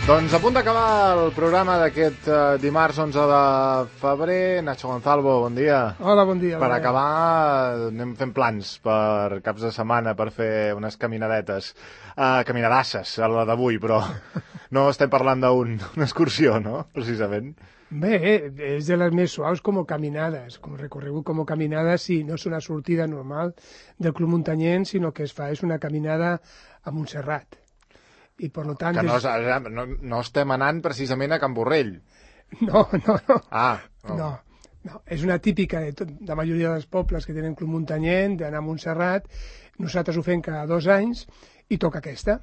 Doncs a punt d'acabar el programa d'aquest dimarts 11 de febrer. Nacho Gonzalvo, bon dia. Hola, bon dia. Per acabar, anem fent plans per caps de setmana per fer unes caminadetes. Caminadasses, a la d'avui, però no estem parlant d'una excursió, no? Precisament. Bé, és de les més suaus com caminades, com recorregut com caminades, sí, no és una sortida normal del Club Muntanyent, sinó que es fa, és una caminada a Montserrat. I per tant... Que no estem anant precisament a Can Borrell. No. Ah. No. És una típica de la majoria dels pobles que tenen Club Muntanyent, d'anar a Montserrat. Nosaltres ho fem cada 2 anys i toca aquesta.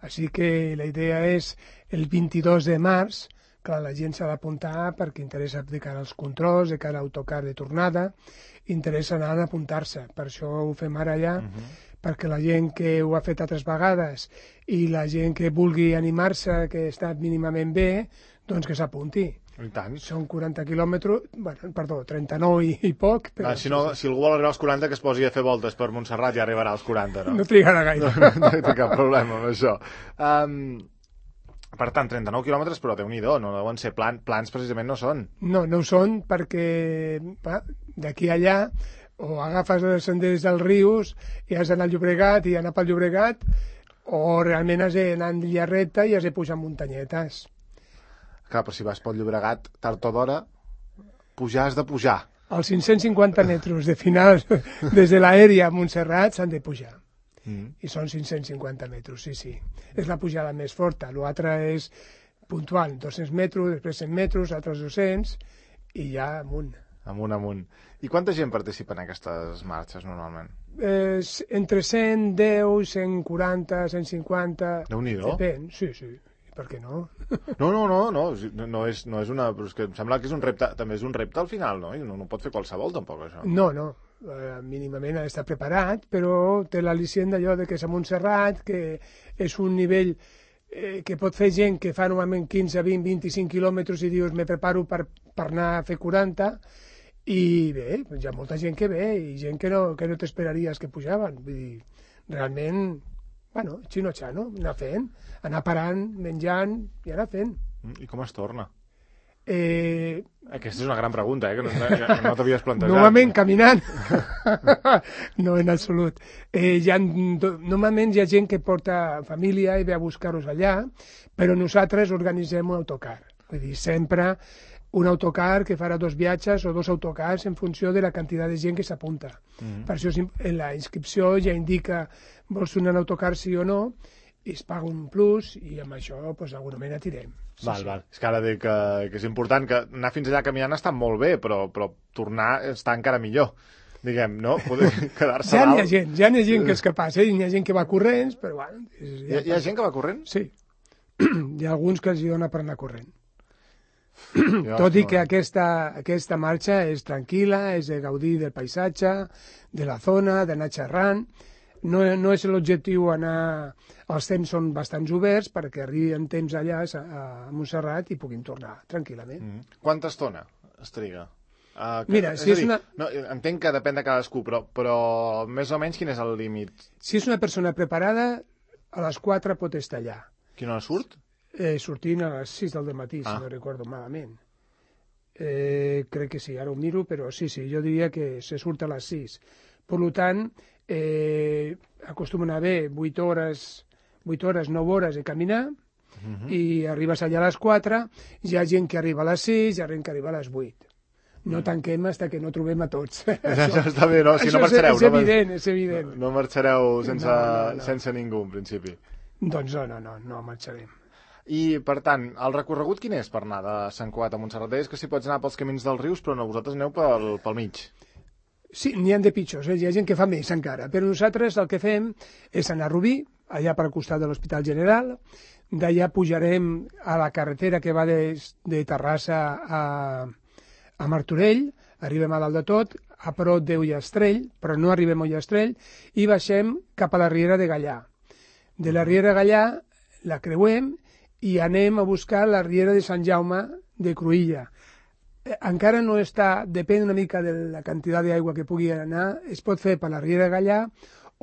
Així que la idea és el 22 de març, clar, la gent s'ha d'apuntar perquè interessa de cara als controls, de cara a l'autocar de tornada, interessa anar a apuntar-se. Per això ho fem ara ja, perquè la gent que ho ha fet altres vegades i la gent que vulgui animar-se, que està mínimament bé, doncs que s'apunti. I tant. Són 40 quilòmetres, bueno, perdó, 39 i poc. Però si algú vol arribar als 40, que es posi a fer voltes per Montserrat ja arribarà als 40, no? No trigarà gaire. No té cap problema amb això. Per tant, 39 quilòmetres, però Déu-n'hi-do, no deuen ser plans precisament no són. No ho són perquè d'aquí a allà o agafes els senders dels rius i has d'anar al Llobregat i anar pel Llobregat, o realment has d'anar en línia recta i has de pujar muntanyetes. Clar, però si vas pel Llobregat, tard o d'hora, has de pujar. Els 550 metres de final des de l'aèria a Montserrat s'han de pujar. I són 550 metres, sí. És la pujada més forta. L'altre és puntual, 200 metres, després 100 metres, altres 200, i ja amunt. Amunt. I quanta gent participa en aquestes marxes, normalment? Entre 110, 140, 150... Déu-n'hi-do. Depèn, sí. Per què no? No és una... Però és que em sembla que és un repte, també és un repte al final, no? I no pot fer qualsevol, tampoc, això. No. Mínimament ha d'estar preparat, però té l'al·licient d'allò de que és a Montserrat, que és un nivell que pot fer gent que fa normalment 15, 20, 25 quilòmetres i dius me preparo per anar a fer 40, i bé, hi ha molta gent que ve i gent que no t'esperaries que pujaven. Vull dir, realment, bueno, xino-xano, anar fent, anar parant, menjant i anar fent. I com es torna? Aquesta és una gran pregunta, que no t'havies plantejat. Normalment caminant. No, en absolut. Normalment hi ha gent que porta família i ve a buscar-los allà, però nosaltres organitzem un autocar. Vull dir, sempre un autocar que farà 2 viatges o 2 autocars en funció de la quantitat de gent que s'apunta. Per això en la inscripció ja indica vols anar en autocar sí o no, i es paga un plus i amb això segurament atirem. Val. És que ara dic que és important que anar fins allà caminant està molt bé, però tornar està encara millor. Diguem, no? Poder quedar-se dalt. Ja n'hi ha gent que és capaç, hi ha gent que va corrents, però bueno... Hi ha gent que va corrent? Sí. Hi ha alguns que els hi dona per anar corrent. Tot i que aquesta marxa és tranquil·la, és de gaudir del paisatge, de la zona, d'anar xerrant. No és l'objectiu anar... Els temps són bastants oberts perquè arribi en temps allà a Montserrat i puguin tornar tranquil·lament. Quanta estona es triga? Mira, si és una... No, entenc que depèn de cadascú, però més o menys quin és el límit? Si és una persona preparada, a les 4 pot estar allà. Quina hora surt? Sortint a les 6 del matí, si no recordo malament. Crec que sí, ara ho miro, però sí, jo diria que se surt a les 6. Per tant, acostumen a haver 8 hores, 9 hores de caminar, i arribes allà a les 4, hi ha gent que arriba a les 6, hi ha gent que arriba a les 8. No tanquem fins que no trobem a tots. Això està bé, no? Si no marxareu. És evident. No marxareu sense ningú, en principi. Doncs no marxarem. I, per tant, el recorregut quin és per anar de Sant Cugat a Montserrat? És que si pots anar pels camins dels rius, però no, vosaltres aneu pel mig. Sí, n'hi ha de pitjors, hi ha gent que fa més encara, però nosaltres el que fem és anar a Rubí, allà per al costat de l'Hospital General, d'allà pujarem a la carretera que va de Terrassa a Martorell, arribem a dalt de tot, a prop d'Ullastrell, però no arribem a Ullastrell, i baixem cap a la Riera de Gallà. De la Riera de Gallà la creuem i anem a buscar la Riera de Sant Jaume de Cruïlla. Encara no està, depèn una mica de la quantitat d'aigua que pugui anar, es pot fer per la Riera de Gallà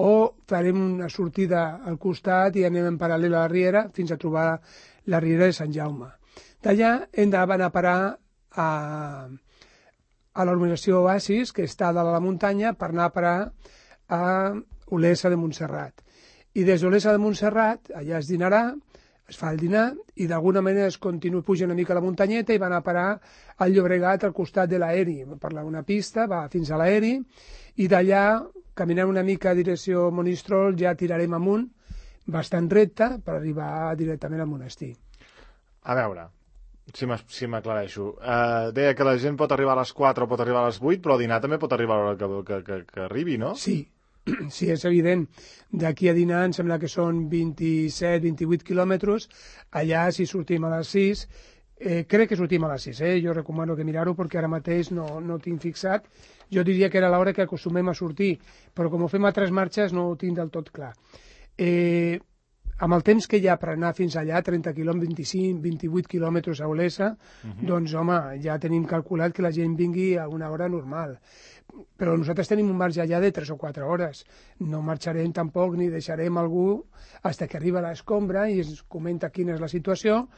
o farem una sortida al costat i anem en paral·lel a la riera fins a trobar la riera de Sant Jaume. D'allà hem d'anar a parar a la urbanització Oasis, que està dalt a la muntanya, per anar a parar a Olesa de Montserrat. I des d'Olesa de Montserrat, allà es dinarà, es fa el dinar, i d'alguna manera es continua, puja una mica la muntanyeta i va anar a parar al Llobregat al costat de l'aeri. Va per una pista, va fins a l'aeri, i d'allà, caminant una mica a direcció Monistrol, ja tirarem amunt, bastant recte, per arribar directament al monestir. A veure, si m'aclareixo. Deia que la gent pot arribar a les 4 o pot arribar a les 8, però a dinar també pot arribar a l'hora que arribi, no? Sí, sí, és evident. D'aquí a dinar em sembla que són 27-28 quilòmetres. Allà, si sortim a les 6, crec que sortim a les 6, jo recomano que mirar-ho perquè ara mateix no tinc fixat. Jo diria que era l'hora que acostumem a sortir, però com ho fem a 3 marxes no ho tinc del tot clar. Amb el temps que hi ha per anar fins allà, 30 quilòmetres, 25-28 quilòmetres a Olesa, doncs, home, ja tenim calculat que la gent vingui a una hora normal. Però nosaltres tenim un marge allà de 3 o 4 hores. No marxarem tampoc ni deixarem algú fins que arriba l'escombra i ens comenta quina és la situació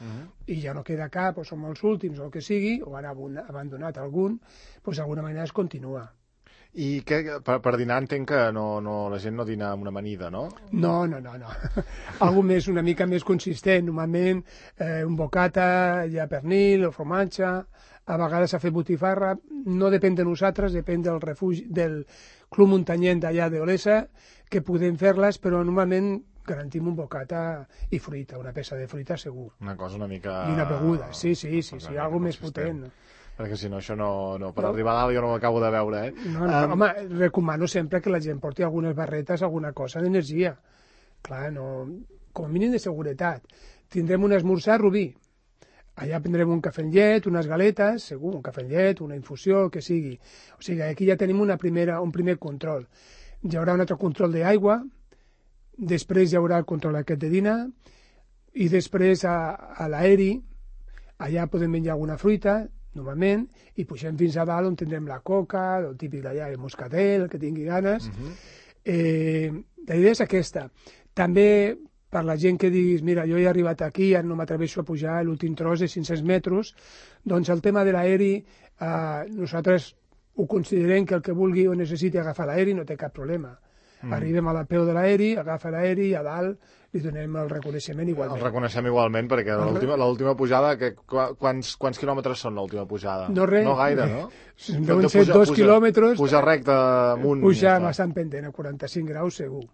i ja no queda cap, o som els últims o el que sigui, o han abandonat algun, doncs d'alguna manera es continua. I per dinar entenc que la gent no dina amb una amanida, no? No. Algo més, una mica més consistent. Normalment un bocata, hi ha pernil o formatge, a vegades s'ha fet botifarra, no depèn de nosaltres, depèn del refugi, del club muntanyent d'allà d'Olesa, que podem fer-les, però normalment garantim un bocata i fruita, una peça de fruita segur. Una cosa una mica... I una beguda, sí, algo més potent. Perquè si no, això no per arribar a dalt jo no ho acabo de veure, No, home, recomano sempre que la gent porti algunes barretes, alguna cosa d'energia. Clar, com a mínim de seguretat. Tindrem un esmorzar rubí. Allà prendrem un cafè amb llet, unes galetes, segur, un cafè amb llet, una infusió, el que sigui. O sigui, aquí ja tenim un primer control. Hi haurà un altre control d'aigua, després hi haurà el control aquest de dinar, i després a l'aeri, allà podem menjar alguna fruita, normalment, i pugem fins a dalt on tindrem la coca, el típic d'allà, el moscatel, el que tingui ganes. La idea és aquesta. També, per la gent que diguis, mira, jo he arribat aquí, ara no m'atreveixo a pujar l'últim tros de 500 metres, doncs el tema de l'aeri, nosaltres ho considerem que el que vulgui o necessiti agafar l'aeri no té cap problema. Arribem a la peu de l'aeri, agafa l'aeri i a dalt li donem el reconeixement igualment. El reconeixem igualment, perquè l'última pujada, quants quilòmetres són l'última pujada? No res. No gaire, no? Deuen ser 2 quilòmetres. Puja recte amunt. Puja bastant pendent, a 45 graus segur,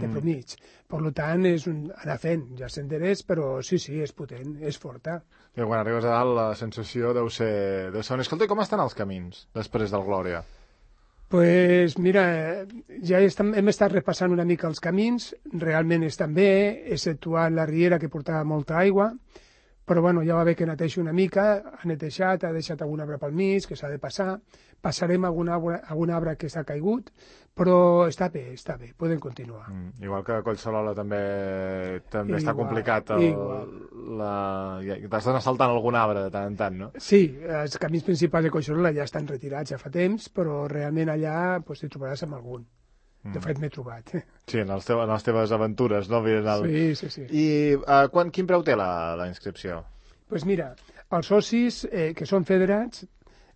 de promig. Per tant, és anar fent, ja senderers, però sí, és potent, és forta. I quan arribes a dalt la sensació deu ser... Escolta, com estan els camins després del Glòria? Pues mira, ja hem estat repassant una mica els camins, realment estan bé, exceptuant la riera que portava molta aigua, però bueno, ja va bé que neteixi una mica, ha netejat, ha deixat algun arbre pel mig, que s'ha de passar, passarem algun arbre que s'ha caigut, però està bé, podem continuar. Igual que a Collserola també està complicat. T'has d'anar saltant algun arbre de tant en tant, no? Sí, els camins principals de Collserola ja estan retirats ja fa temps, però realment allà t'hi trobaràs amb algun. De fet, m'he trobat. Sí, en les teves aventures, no? Sí. I quin preu té la inscripció? Doncs mira, els socis que són federats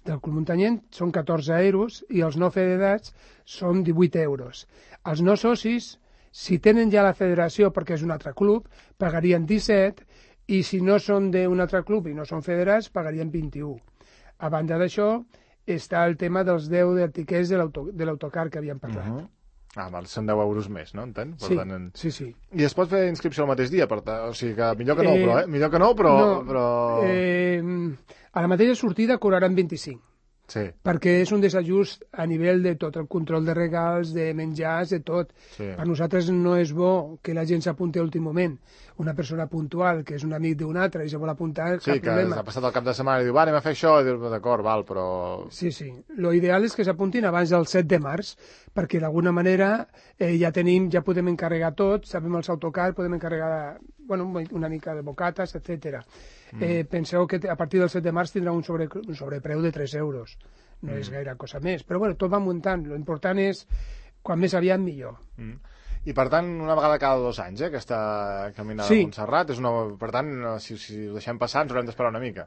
del Club Muntanyent són 14 euros i els no federats són 18 euros. Els no socis, si tenen ja la federació perquè és un altre club, pagarien 17 i si no són d'un altre club i no són federats, pagarien 21. A banda d'això, està el tema dels 10 d'etiquets de l'autocar que havíem parlat. Són 10 euros més, no? Entenc? Sí. I es pot fer inscripció el mateix dia? O sigui que millor que no, millor que no, però... A la mateixa sortida cobraran 25. Sí. Perquè és un desajust a nivell de tot el control de regals, de menjars, de tot. Sí. Per nosaltres no és bo que la gent s'apunti a l'últim moment. Una persona puntual, que és un amic d'un altre i se vol apuntar, cap problema. Sí, que s'ha passat el cap de setmana i diu, anem a fer això, i diu, d'acord, val, però... Sí. Lo ideal és que s'apuntin abans del 7 de març, perquè d'alguna manera ja podem encarregar tot, sabem els autocars, podem encarregar una mica de bocates, etc. Penseu que a partir del 7 de març tindrà un sobrepreu de 3 euros. No és gaire cosa més. Però tot va muntant. L'important és, quan més aviat, millor. I, per tant, una vegada cada 2 anys, aquesta caminada a Montserrat. Per tant, si ho deixem passar, ens haurem d'esperar una mica.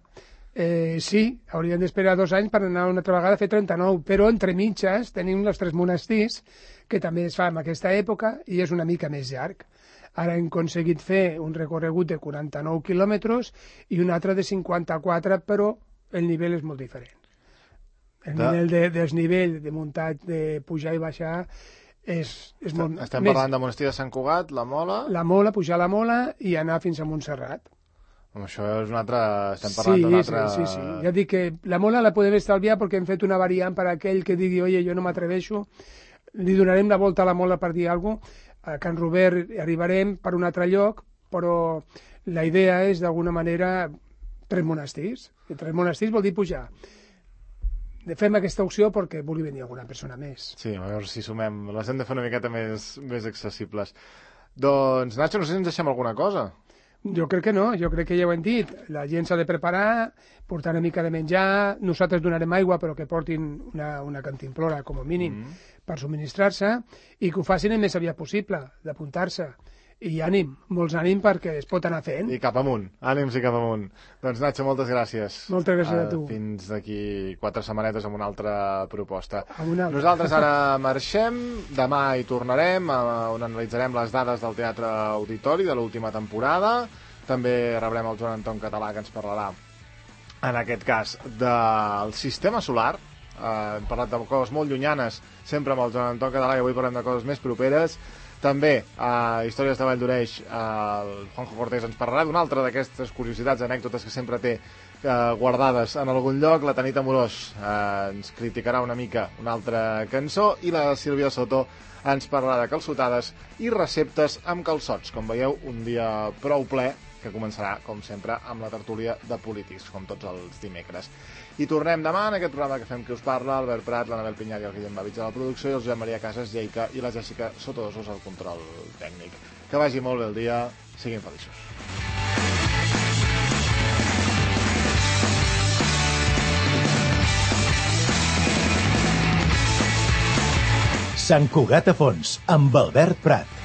Sí, hauríem d'esperar 2 anys per anar una altra vegada a fer 39, però entre mitges tenim els 3 monestirs, que també es fa en aquesta època, i és una mica més llarg. Ara hem aconseguit fer un recorregut de 49 quilòmetres i un altre de 54, però el nivell és molt diferent. El nivell de desnivell, de muntat, de pujar i baixar, és molt... Estem parlant de Monestir de Sant Cugat, la Mola... La Mola, pujar la Mola i anar fins a Montserrat. Això és un altre... Estem parlant d'un altre... Sí. Ja dic que la Mola la podem estalviar perquè hem fet una variant per a aquell que digui oye, jo no m'atreveixo, li donarem la volta a la Mola per dir alguna cosa. A Can Robert arribarem per un altre lloc, però la idea és, d'alguna manera, 3 monestirs. I 3 monestirs vol dir pujar. Fem aquesta opció perquè vulgui venir alguna persona més. Sí, a veure si sumem. Les hem de fer una miqueta més accessibles. Doncs, Nacho, no sé si ens deixem alguna cosa. Jo crec que no, jo crec que ja ho hem dit. La gent s'ha de preparar, portar una mica de menjar, nosaltres donarem aigua, però que portin una cantimplora, com a mínim, per subministrar-se, i que ho facin el més aviat possible, d'apuntar-se. I ànim, molts ànim, perquè es pot anar fent. I cap amunt, ànims i cap amunt. Doncs, Nacho, moltes gràcies. Moltes gràcies a tu. Fins d'aquí 4 setmanetes amb una altra proposta. Una altra. Nosaltres ara marxem, demà hi tornarem, on analitzarem les dades del Teatre Auditori de l'última temporada. També rebrem el Joan Anton Català, que ens parlarà, en aquest cas, del sistema solar. Hem parlat de coses molt llunyanes, sempre amb el Joan Anton Català, i avui parlem de coses més properes. També, a Històries de Vall d'Oreix, el Juanjo Cortés ens parlarà d'una altra d'aquestes curiositats, anècdotes que sempre té guardades en algun lloc. La Tanit Amorós ens criticarà una mica una altra cançó, i la Sílvia Soto ens parlarà de calçotades i receptes amb calçots. Com veieu, un dia prou ple, que començarà, com sempre, amb la tertúlia de polítics, com tots els dimecres. I tornem demà en aquest programa que fem Qui us parla, Albert Prat, l'Anabel Pinyar i el Guillem Babitz a la producció, i el Josep Maria Casas Lleika i la Jessica Sotodosos al control tècnic. Que vagi molt bé el dia, siguin feliços. Sant Cugat a fons, amb Albert Prat.